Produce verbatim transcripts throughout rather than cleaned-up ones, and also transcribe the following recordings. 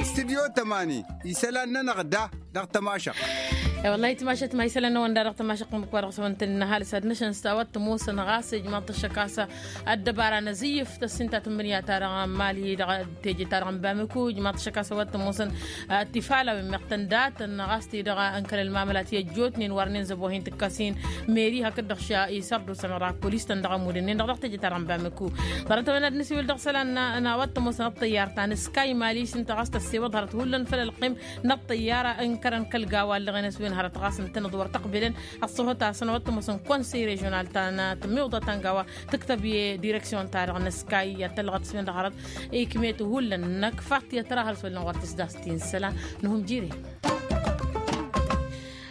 Studyo tămani isălan-nănăɣ da dăɣ-tămašăɣt. E-wălla-hi timašăt ma isălan-năwăn da dăɣ-tămašăɣt n-ǝkk wa dăɣ-s wăn tăn-innă ăhalǝs ad-năšăn s-a-wa t-ămoosăn ɣas ijmaḍ-t ăššăk a-s ăddăbara n-azǝyyǝf tăssinta tǝmmǝnǝya-ta-dăɣ n-mali dăɣ-teje-ta-dăɣ n-bamǝku ijmaḍ-t ăššăk a-s a-wa t-ămoosăn tifalawin meɣ tăn-datăn ɣas-t-i-dăɣ ǝnkăl ălmamăla ti ăjjootnen wărnen zăboh-in tǝkkas-in meri hakd-dăɣ ša isărdusa-năɣ dăɣ-ăkkolis-tăn dăɣ-ămud-ǝnnin-dăɣ dăɣ-teje-ta-dăɣ n-bamǝku. Ḍarăt-a-wen ad-nǝsiwǝl dăɣ-isălan n-a-wa t-ămoosăn ăṭṭăyyar ta n-sky mali s-ǝnta ɣas tăssewăḍ hărăt hullan făll-ălqim n-ăṭṭăyyar ǝnkărăn kăl-gawa ăllăɣen a-s wen hărăt ɣas ǝntănăḍ wăr tăqbǝlăn ăṣṣăhot-asăn a-wa t-ămoosăn konsey režional ta n-tǝmmiwḍa ta n-gawa tǝktăb i-direksyon-ta-dăɣ n-sky i-ad-tăllăɣăt s-wen-dăɣ hărăt ikm'-et hullan n-ăkfat i-ad-tărahăl s-wăllan wăr tǝsdast-in isălan. Nǝhum jire.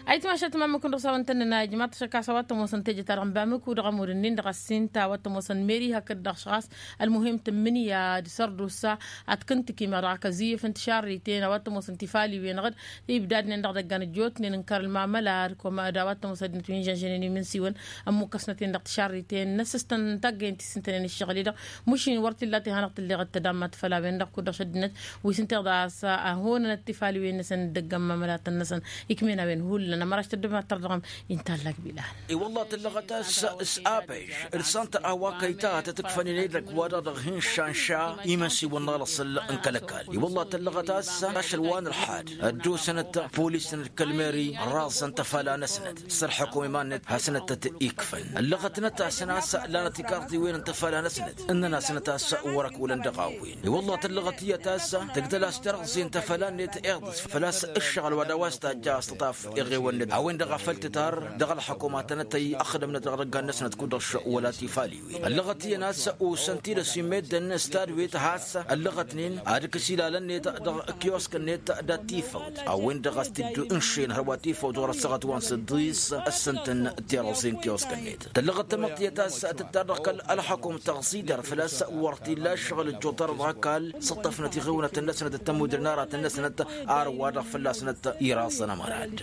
Ayǝtmašat mamǝk-win-dăɣ s-a-wăn tăn-nǝnna ijmaḍ-t ăššăk a-s a-wa t-ămoosăn teje-ta-dăɣ n-bamǝku dăɣ-ămud-ǝnnin-dăɣ ăssin ta a-wa t-ămoosăn meri hakd-dăɣ š-ɣas ălmuhim tǝmmǝnǝya d-sărdusa ad-t-kǝntǝki meɣ dăɣ-kăzǝyyǝf n-tišarriten a-wa t-ămoosăn tifaliwen-dăɣ d-ibdadnen dăɣ-idăggan ăjjootnen n-kăr-ălmamăla d-kăwăm d-a-wa t-ămoosăn ăddinăt wi n-žănžănen imin-siwăn ămmukkăsnăt-in dăɣ-tišarriten n-asǝstăn n-taggăyăn ti s-ǝntănen ǝššăɣǝl-i-dăɣ. Mušin wăr t-illa tehanăɣ tǝlleɣ d-tadammat făll-a-wen-dăɣ kud-dăɣ šăddinăt wi s-ǝnta iḍas a honănăt tifaliwen-năsăn d-ăgg-ămmamălatăn-năsăn. Ikmen a-wen hullan ămăraš tăddămat tărdăɣăm. Inta ăllagbilal. I-wălla tǝllăɣăt a-s s-abež d-sănta a-wa kăyta tăt-ǝkfăn inăy dăgg-wa-dăɣ dăɣ-hin-šanša imǝnsiwăn n-alăṣăl n-kăl-ăkall i-wălla tǝllăɣăt a-s ašăl wa n-ălḥad ăddosănăt polisăn d-kăl-meri raẓăn tăfala-năsnăt s-ălḥăkum iman-net hasăn-tăt-ikfăn ǝllăɣătnăt-asăn a-s lanăt ikarḍiwen n-tăfala-năsnăt ǝnnăn-asnăt a-s wăr-ăkk wălăn dăɣ-a-wen. I-wălla tăllăɣăt iyyăt a-s tǝgdăl-as terăẓẓe n-tăfăla-net iḍǝs făl-a-s ǝššăɣǝl wa d-a-wa s-tajja a-s tǝṭṭaf eɣewăn-net a-wen-dăɣ a făl tǝtar dăɣ-ălḥăkum ad-tănătăy ăxdămnăt dăɣ-idăggan-năsnăt kud-dăɣ š-wăla tifaliwen ăllăɣăt iyyăn a-s usăn-t-dd ăsimedden s-tadwet has-ăllăɣătnen ad-ǝkǝs ilalăn-net dăɣ-kiosk-net dat-tifăwt a-wen-dăɣ a-s t-dd-ǝnšen hărwa tifăwt ɣur-ăssaɣăt wa n-săḍḍis ăssăntăn tirăẓẓe n-kiosk-net. Tăllăɣăt tamăḍt iyyăt a-s tǝttar dăɣ-kăl-ălxăkum tăɣẓi-dăr făl-a-s wăr t-illa ǝššăɣǝl ǝjjuḍ-arăt ɣăkall sǝṭṭăfnăt iɣǝwnăt-năsnăt d-tămudre n-aratăn-năsnăt. Arwa-dăɣ fălla-snăt iraẓăn ămărad.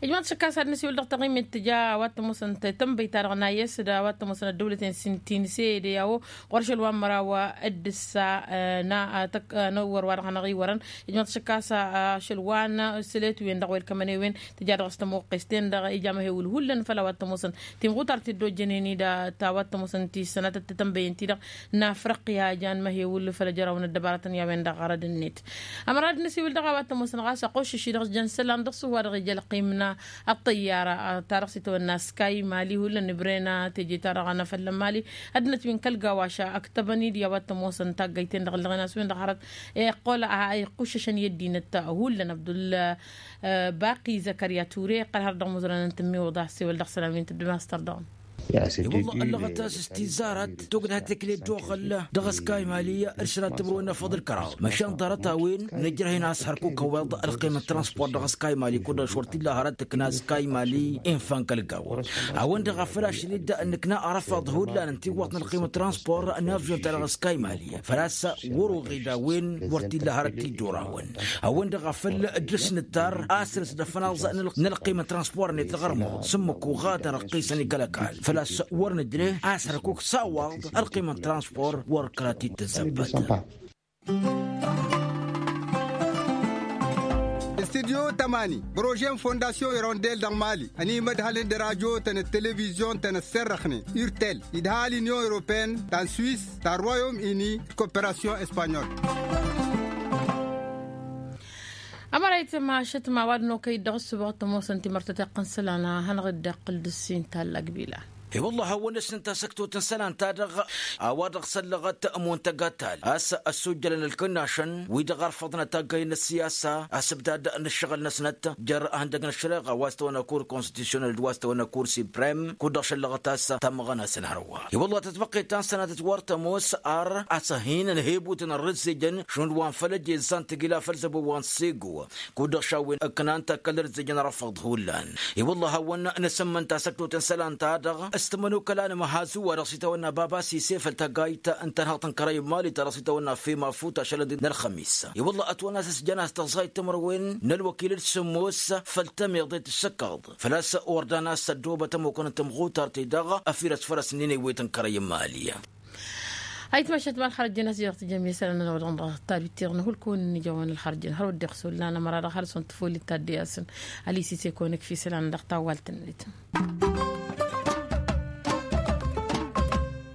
Ijmaḍ šăkkas ad-nǝsiwǝl dăɣ-taɣimet tǝja a-wa t-ămoosăn tănbăyt-ta-dăɣ n-ayǝs d-a-wa t-ămoosăn ăddăwlăten s-tinse d-e-awo ɣur-ašăl wa n-măraw d-ǝssa n-awăr wa dăɣ-hanăɣ-iwărăn. Ijmaḍ šăkkas ašăl wa n-sălet-wen dăɣ-welkămăn-e-wen tǝja dăɣ-s tămoqqes-ten-dăɣ ija măhewǝl hullan făll-a-wa t-ămoosăn timɣutar ti dd-ojjănen-i d-a-wa t-ămoosăn ti s-sănatăt tătănbăyăn-ti-dăɣ n-afriqya ija n-măhewǝl făll-ejăraw n-ăddăbarătăn i-a-wen-dăɣ ɣărăd-net. Ămăra d-nǝsiwǝl dăɣ-a-wa t-ămoosăn ɣas ăqquššǝš-i dăɣ-s jăn isălan dăɣ-s wa-dăɣ ija ălqim n-ăṭṭăyyara ta-dăɣ s-itawănna sky mali hullan ǝbren teje-ta-dăɣ n-afăllăn mali. Ăddinăt wi n-kăl-gawaša ăktăbăn-dd i-a-wa t-ămoosăn taggăyten-dăɣ ǝllăɣen a-s wen-dăɣ hărăt iqqol a iqquššăšăn i-ăddinăt hullan abdul baqi zăkărya ture iqqăl har dăɣ-imuzărăn n-tǝmmiwǝḍa ăssewăl dăɣ-isălan wi n-tǝddǝm a-s tărdăɣăm. I-wălla ăllăɣăt a-s s-tizarăt tugdăt tikli dd-oɣăl dăɣ-sky mali d-sărat tǝbrǝwen n-afăḍ ǝlkăraḍ măšan ḍarăt-a-wen nǝjrăh-in a-s hărkuk ăweḍ ălqim n-transport dăɣ-sky mali kud-dăɣ s-wăr t-illa hărăt tǝkna sky mali infan kăl-gawa. A-wen-dăɣ a făl ašăl-dd nǝkna arăfaḍ hullan n-tiwwaḍt n-ălqim n-transport n-avyon-ta-dăɣ sky mali făl-a-s wăr-oɣed a-wen wăr t-illa hărăt t-dd-orawăn. A-wen-dăɣ a făl dăr-s nǝttar asrǝs d-afănaẓ n-ălqim n-transport-net dăɣ-ărmuḍ s-ǝmmǝk uɣadăn ăqqisăn i-kăl-ăkall făl-a-s wăr nǝjreh a-s hărkuk s-a-wa dd ălqim n-transport wăr kăla t-dd-tǝzzăbbăt. Studyo tămani prože n-fondasyon irondel dăɣ-mali ănimădhălăn d-radyo-tăn d-televizyon-tăn ăsserrăxnen irtel idhal inyon europene ta n-swis ta n-royom ini d-koperasyon espanyol. Ămărayt ma ašăt ma ăwadǝm okăy-dd dăɣ-ǝssǝboɣ t-ămoosăn timărtăt iqqăn isălan a hanăɣ-dd-iqqǝl d-ǝssin tallagbilan. I-wălla hawăn-ăsnăt asăktot n-isălan-ta-dăɣ a-wa dăɣ-săllăɣăt muntăg attal a-s ăssujjălăn ǝlkǝnnašăn wi-dăɣ ărfăḍnăt aggăyăn n-ăssiyasa asǝbdad n-ǝššăɣǝl-năsnăt jer-ihăndăg n-ăššăreɣa wa s-tăwănna kur konstitusyonal d-wa s-tăwănna kur siprem kud-dăɣ šăllăɣăt a-s tamăɣănasăn hărwa. I-wălla tătbăqqet ta n-sănatăt wăr tămoos ar asăhin n-hebutăn ărrǝzzejăn šund wa n-făl ăjezăsa n-tagila făl zăbo wa n-sego kud-dăɣ šawwen ǝknan takăl ărǝzzejăn răfăḍ hullan. I-wălla hawăn-năsǝmmǝn tasăktot n-isălan-ta-dăɣ S-tămănokăla n-amăhazu wa dăɣ-s itawănna baba sise făll-taggayt n-tanhăḍt n-kărăy n-mali ta dăɣ-s itawănna fema futa ašălăd n-ălxămis i-wălla ătwănna s-ăsjăn a-s tăẓẓayt timărwen n-ălwăkil d-sǝmmos făll-tămiḍe d-tǝssăkkaḍ făl-a-s wăr dan a-s ăddoobăt ămokăn n-tamɣutart-i-dăɣ ăfirăs fărăs n-inewet n-kărăy n-mali. Ayǝtmašat ma ălxărăt ăjjăn a-s jăr tǝjjăm isălan n-ănăwăḍăn dăɣ-tabit tiɣnă hulkăwăn n-ijăwăn ălxărăt ăjjăn hărăt dd-iɣsǝl lan ămăra dăɣ-hărăt s-wăn tǝfoli tadde-asăn. Ălisise kăwăn-ăkf isălan dăɣ-tawwalt-net.